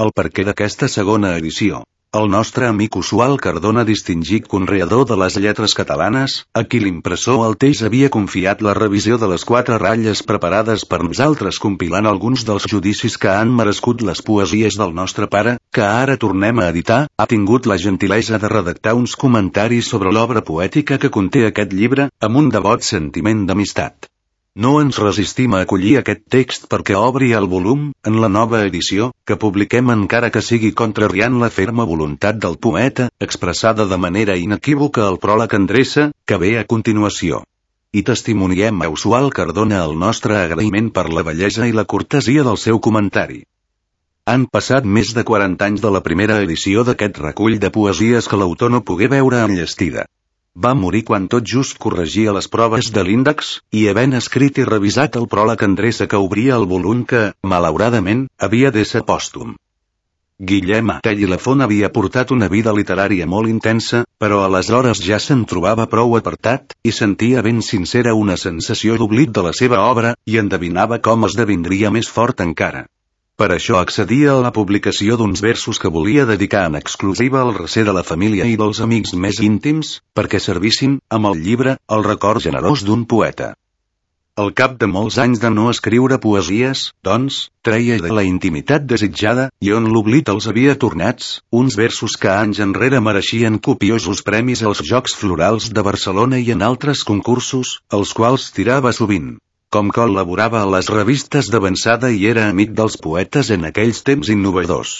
El perquè d'aquesta segona edició. El nostre amic Oswald Cardona, distingit conreador de les lletres catalanes, a qui l'impressor Alteix havia confiat la revisió de les 4 ratlles preparades per nosaltres compilant alguns dels judicis que han merescut les poesies del nostre pare, que ara tornem a editar, ha tingut la gentilesa de redactar uns comentaris sobre l'obra poètica que conté aquest llibre, amb un devot sentiment d'amistat. No ens resistim a acollir aquest text perquè obri el volum, en la nova edició, que publiquem encara que sigui contrariant la ferma voluntat del poeta, expressada de manera inequívoca al pròleg endreça, que ve a continuació. I testimoniem a Oswald Cardona el nostre agraïment per la bellesa i la cortesia del seu comentari. Han passat més de 40 anys de la primera edició d'aquest recull de poesies que l'autor no pogué veure enllestida. Va morir quan tot just corregia les proves de l'índex, i havent escrit i revisat el pròleg endreça que obria el volum que, malauradament, havia d'ésser pòstum. Guillem Atell i Lafont havia portat una vida literària molt intensa, però aleshores ja se'n trobava prou apartat, i sentia ben sincera una sensació d'oblit de la seva obra, i endevinava com esdevindria més fort encara. Per això accedia a la publicació d'uns versos que volia dedicar en exclusiva al recer de la família i dels amics més íntims, perquè servissin, amb el llibre, el record generós d'un poeta. Al cap de molts anys de no escriure poesies, doncs, treia de la intimitat desitjada, i on l'oblit els havia tornats, uns versos que anys enrere mereixien copiosos premis als Jocs Florals de Barcelona i en altres concursos, als quals tirava sovint. Com col·laborava a les revistes d'avançada i era amic dels poetes en aquells temps innovadors.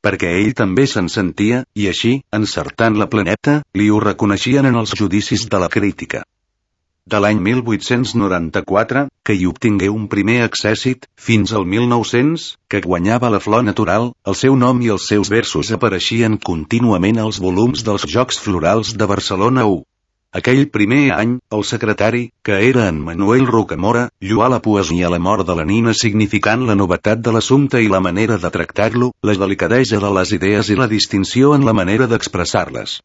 Perquè ell també se'n sentia, i així, encertant la planeta, li ho reconeixien en els judicis de la crítica. De l'any 1894, que hi obtingué un primer accèssit, fins al 1900, que guanyava la Flor Natural, el seu nom i els seus versos apareixien contínuament als volums dels Jocs Florals de Barcelona 1. Aquell primer any, el secretari, que era en Manuel Rocamora, lloà la poesia a la mort de la nina significant la novetat de l'assumpte i la manera de tractar-lo, la delicadesa de les idees i la distinció en la manera d'expressar-les.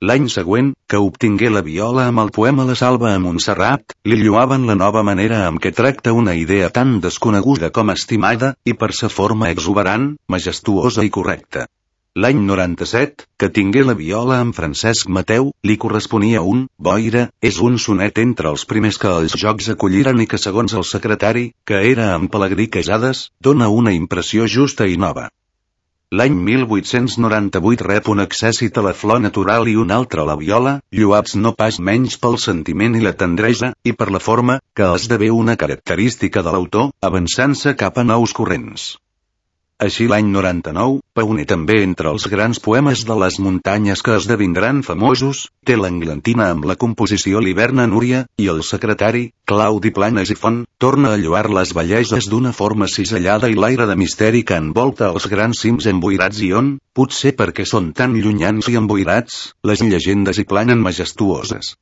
L'any següent, que obtingué la Viola amb el poema La Salva a Montserrat, li lloaven la nova manera amb què tracta una idea tan desconeguda com estimada, i per sa forma exuberant, majestuosa i correcta. L'any 97, que tingué la Viola amb Francesc Mateu, li corresponia un Boira, és un sonet entre els primers que els Jocs acolliren i que segons el secretari, que era en Pelegrí Queixades, dona una impressió justa i nova. L'any 1898 rep un accèssit a la Flor Natural i un altre a la Viola, lloats no pas menys pel sentiment i la tendresa, i per la forma, que esdevé una característica de l'autor, avançant-se cap a nous corrents. Així l'any 99, pioner també entre els grans poemes de les muntanyes que esdevindran famosos, té l'Englantina amb la composició L'Hivern a Núria, i el secretari, Claudi Planas i Font, torna a lloar les belleses d'una forma cisellada i l'aire de misteri que envolta els grans cims emboirats i on, potser perquè són tan llunyans i emboirats, les llegendes hi planen majestuoses.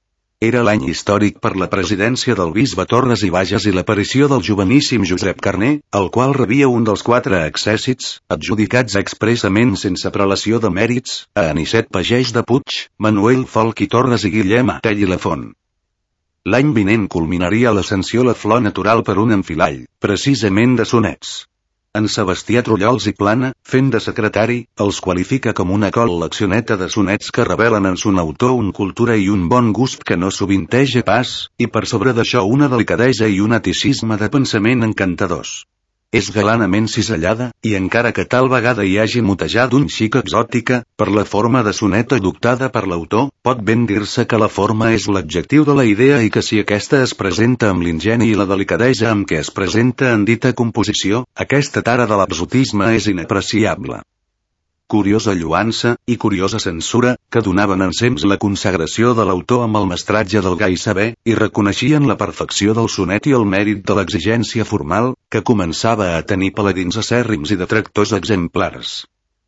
Era l'any històric per la presidència del bisbe Torres i Bages i l'aparició del joveníssim Josep Carner, el qual rebia un dels 4 accèssits, adjudicats expressament sense prelació de mèrits, a Anicet Pagès de Puig, Manuel Folch i Torres i Guillem Atell i Lafont. L'any vinent culminaria l'ascensió La Flor Natural per un enfilall, precisament de sonets. En Sebastià Trullols i Plana, fent de secretari, els qualifica com una col·leccioneta de sonets que revelen en son autor una cultura i un bon gust que no sovinteja pas, i per sobre d'això una delicadesa i un aticisme de pensament encantadors. És galanament cisellada, i encara que tal vegada hi hagi mutejat un xic exòtica, per la forma de sonet adoptada per l'autor, pot ben dir-se que la forma és l'adjectiu de la idea i que si aquesta es presenta amb l'ingeni i la delicadesa amb què es presenta en dita composició, aquesta tara de l'exotisme és inapreciable. Curiosa lloança, i curiosa censura, que donaven ensems la consagració de l'autor amb el mestratge del gai saber, i reconeixien la perfecció del sonet i el mèrit de l'exigència formal, que començava a tenir paladins acèrrims i detractors exemplars.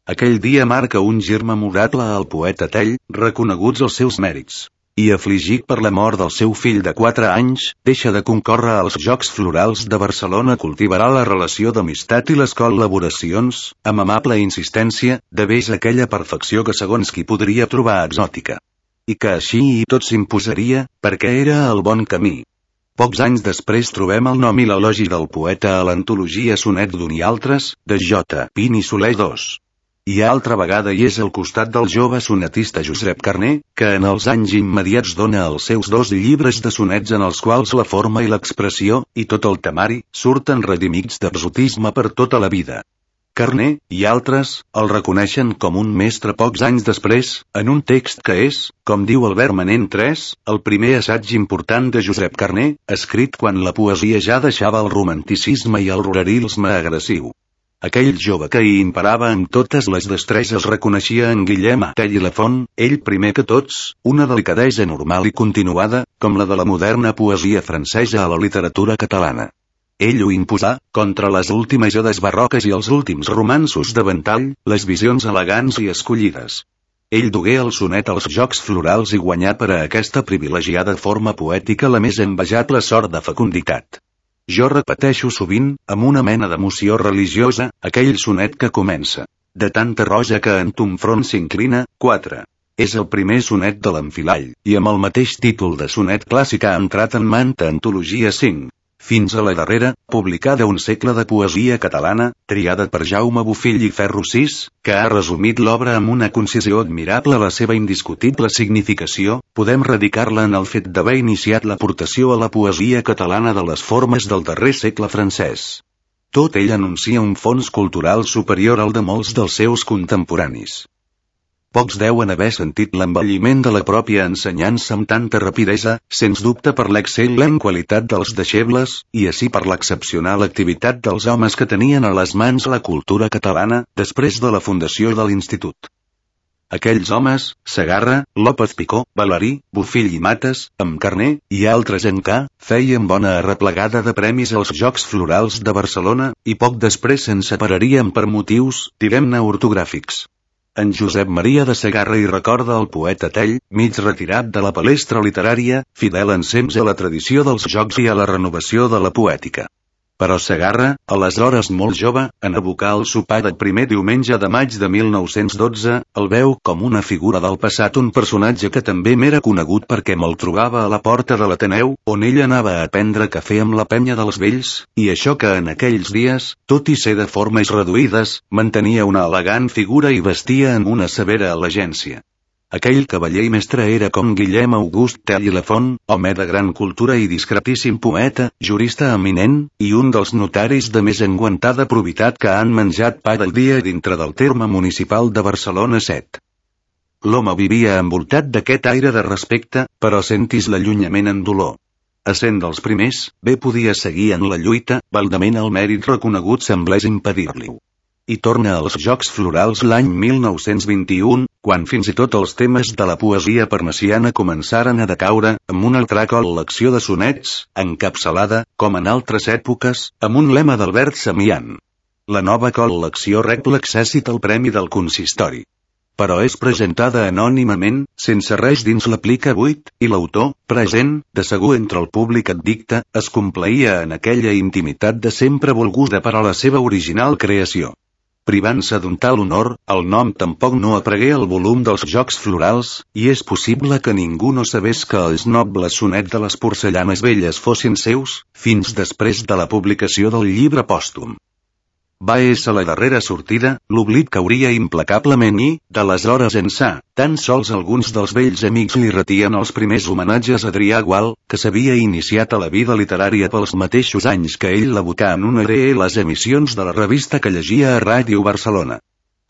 Aquell dia marca un gir memorable al poeta Atell, reconeguts els seus mèrits. I afligit per la mort del seu fill de 4 anys, deixa de concórrer als Jocs Florals de Barcelona. Cultivarà la relació d'amistat i les col·laboracions, amb amable insistència, de vés aquella perfecció que segons qui podria trobar exòtica. I que així i tot s'imposaria, perquè era el bon camí. Pocs anys després trobem el nom i l'elogi del poeta a l'antologia Sonet d'un i altres, de J. Pin i Soler II. I altra vegada hi és al costat del jove sonetista Josep Carner, que en els anys immediats dona els seus 2 llibres de sonets en els quals la forma i l'expressió, i tot el temari, surten redimits d'exotisme per tota la vida. Carner, i altres, el reconeixen com un mestre pocs anys després, en un text que és, com diu Albert Manent III, el primer assaig important de Josep Carner, escrit quan la poesia ja deixava el romanticisme i el ruralisme agressiu. Aquell jove que hi imparava amb totes les destreses reconeixia en Guillem Tell i Lafont, ell primer que tots, una delicadesa normal i continuada, com la de la moderna poesia francesa a la literatura catalana. Ell ho imposà, contra les últimes odes barroques i els últims romanços de ventall, les visions elegants i escollides. Ell dugué el sonet als Jocs Florals i guanyà per a aquesta privilegiada forma poètica la més envejable sort de fecunditat. Jo repeteixo sovint, amb una mena d'emoció religiosa, aquell sonet que comença. De tanta roja que en ton front s'inclina, 4. És el primer sonet de l'Enfilall, i amb el mateix títol de sonet clàssic ha entrat en manta antologia 5. Fins a la darrera, publicada un segle de poesia catalana, triada per Jaume Bofill i Ferro VI, que ha resumit l'obra amb una concisió admirable a la seva indiscutible significació, podem radicar-la en el fet d'haver iniciat l'aportació a la poesia catalana de les formes del darrer segle francès. Tot ell anuncia un fons cultural superior al de molts dels seus contemporanis. Pocs deuen haver sentit l'envelliment de la pròpia ensenyança amb tanta rapidesa, sens dubte per l'excel·lent qualitat dels deixebles, i així per l'excepcional activitat dels homes que tenien a les mans la cultura catalana, després de la fundació de l'Institut. Aquells homes, Segarra, López Picó, Valerí, Bofill i Mates, amb Carner, i altres en K, feien bona arreplegada de premis als Jocs Florals de Barcelona, i poc després se'n separarien per motius, direm-ne ortogràfics. En Josep Maria de Segarra hi recorda el poeta Tell, mig retirat de la palestra literària, fidel ensems a la tradició dels jocs i a la renovació de la poètica. Però Segarra, aleshores molt jove, en abocar el sopar del primer diumenge de maig de 1912, el veu com una figura del passat, un personatge que també m'era conegut perquè me'l trobava a la porta de l'Ateneu, on ell anava a prendre cafè amb la penya dels vells, i això que en aquells dies, tot i ser de formes reduïdes, mantenia una elegant figura i vestia amb una severa elegància. Aquell cavaller i mestre era com Guillem August Tell i Lafont, home de gran cultura i discretíssim poeta, jurista eminent, i un dels notaris de més enguantada probitat que han menjat pa del dia dintre del terme municipal de Barcelona 7. L'home vivia envoltat d'aquest aire de respecte, però sentis l'allunyament en dolor. Essent dels primers, bé podia seguir en la lluita, baldament el mèrit reconegut semblés impedir-li-ho. I torna als Jocs Florals l'any 1921, quan fins i tot els temes de la poesia parnassiana començaren a decaure, amb una altra col·lecció de sonets, encapçalada, com en altres èpoques, amb un lema d'Albert Samian. La nova col·lecció rep l'accèssit al Premi del Consistori. Però és presentada anònimament, sense res dins l'aplica buit, i l'autor, present, de segur entre el públic addicte, es complaïa en aquella intimitat de sempre volguda per a la seva original creació. Privant-se d'un tal honor, el nom tampoc no aparegué al volum dels Jocs Florals, i és possible que ningú no sabés que els nobles sonets de les porcellanes velles fossin seus, fins després de la publicació del llibre pòstum. Va ésser la darrera sortida, l'oblit cauria implacablement i, d'aleshores ençà, tan sols alguns dels vells amics li retien els primers homenatges a Adrià Gual, que s'havia iniciat a la vida literària pels mateixos anys que ell l'abocà en una les emissions de la revista que llegia a Ràdio Barcelona.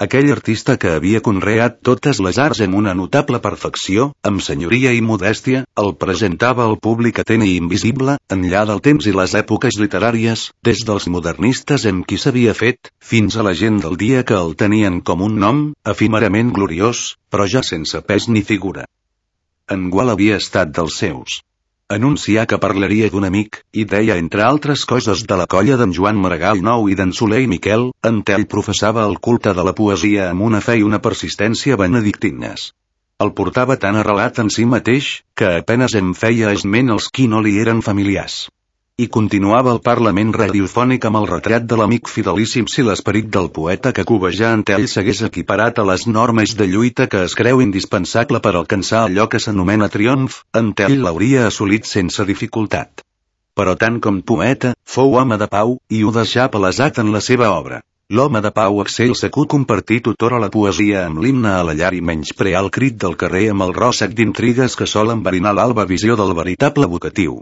Aquell artista que havia conreat totes les arts amb una notable perfecció, amb senyoria i modèstia, el presentava al públic atent i invisible, enllà del temps i les èpoques literàries, des dels modernistes amb qui s'havia fet, fins a la gent del dia que el tenien com un nom, efímerament gloriós, però ja sense pes ni figura. En Gual havia estat dels seus. Anuncià que parlaria d'un amic, i deia entre altres coses de la colla d'en Joan Maragall Nou i d'en Soler i Miquel, en Tell professava el culte de la poesia amb una fe i una persistència benedictines. El portava tan arrelat en si mateix, que apenes en feia esment els qui no li eren familiars. I continuava el parlament radiofònic amb el retrat de l'amic fidelíssim si l'esperit del poeta que cobejà en Tell s'hagués equiparat a les normes de lluita que es creu indispensable per alcançar allò que s'anomena triomf, en Tell l'hauria assolit sense dificultat. Però tant com poeta, fou home de pau, i ho deixà palesat en la seva obra. L'home de pau excel segur compartir tutora la poesia amb l'himne a la llar i menysprear el crit del carrer amb el ròssec d'intrigues que sol enverinar l'alba visió del veritable vocatiu.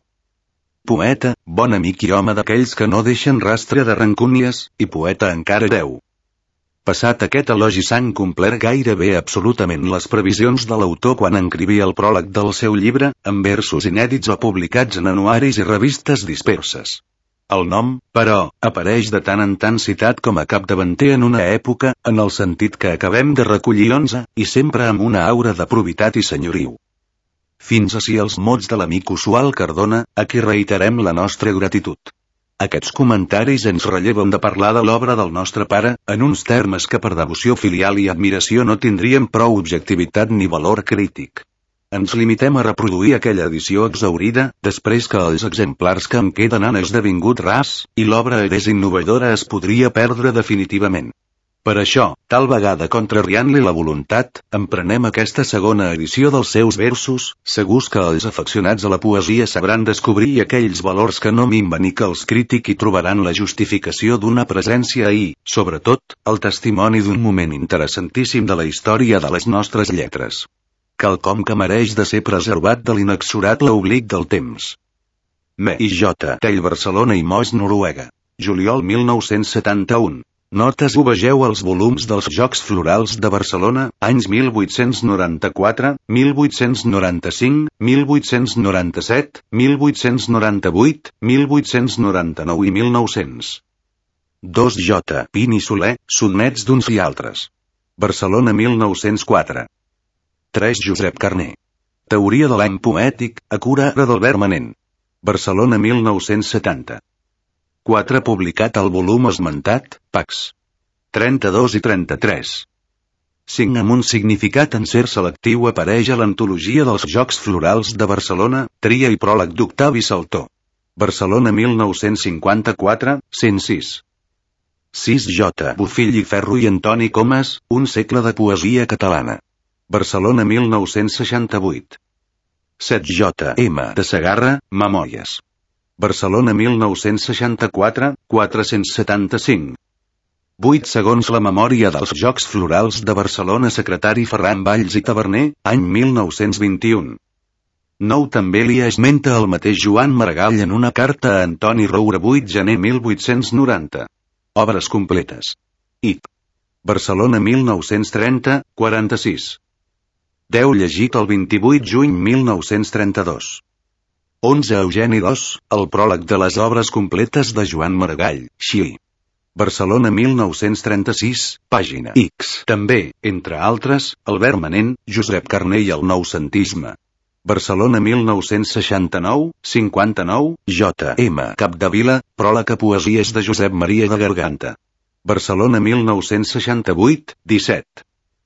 Poeta, bon amic i home d'aquells que no deixen rastre de rancúnies, i poeta encara Déu. Passat aquest elogi s'han complert gairebé absolutament les previsions de l'autor quan escrivia el pròleg del seu llibre, amb versos inèdits o publicats en anuaris i revistes disperses. El nom, però, apareix de tant en tant citat com a capdavanter en una època, en el sentit que acabem de recollir 11, i sempre amb una aura de probitat i senyoriu. Fins ací els mots de l'amic Usual Cardona, a qui reiterem la nostra gratitud. Aquests comentaris ens relleven de parlar de l'obra del nostre pare, en uns termes que per devoció filial i admiració no tindrien prou objectivitat ni valor crític. Ens limitem a reproduir aquella edició exhaurida, després que els exemplars que en queden han esdevingut rars, i l'obra és innovadora es podria perdre definitivament. Per això, tal vegada contrariant-li la voluntat, emprenem aquesta segona edició dels seus versos, segurs que els afeccionats a la poesia sabran descobrir aquells valors que no minven i que els crítics hi trobaran la justificació d'una presència i, sobretot, el testimoni d'un moment interessantíssim de la història de les nostres lletres. Quelcom que mereix de ser preservat de l'inexorable oblit del temps. M. I. J. Tell Barcelona i Moix Noruega. Juliol 1971. Notes ho vegeu als volums dels Jocs Florals de Barcelona, anys 1894, 1895, 1897, 1898, 1899 i 1900. 2 J. Pin i Soler, Sotmets d'uns i altres. Barcelona 1904. 3 Josep Carner. Teoria de l'any poètic, a cura d'Albert Manent. Barcelona 1970. 4 publicat al volum esmentat, Pax. 32 i 33. 5 amb un significat en cert selectiu apareix a l'antologia dels Jocs Florals de Barcelona, tria i pròleg d'Octavi Saltor. Barcelona 1954, 106. 6 J. Bofill i Ferro i Antoni Comas, un segle de poesia catalana. Barcelona 1968. 7 J. M. de Segarra, Memòries. Barcelona 1964, 475. 8 segons la memòria dels Jocs Florals de Barcelona secretari Ferran Valls i Taverner, any 1921. 9 també li esmenta el mateix Joan Maragall en una carta a Antoni Roura 8 gener 1890. Obres completes. I. Barcelona 1930, 46. 10 llegit el 28 juny 1932. 11 Eugeni II, el pròleg de les obres completes de Joan Maragall, Xi. Barcelona 1936, pàgina X. També, entre altres, Albert Manent, Josep Carner i el noucentisme. Barcelona 1969, 59, J. M. Capdevila, pròleg a poesies de Josep Maria de Garganta. Barcelona 1968, 17.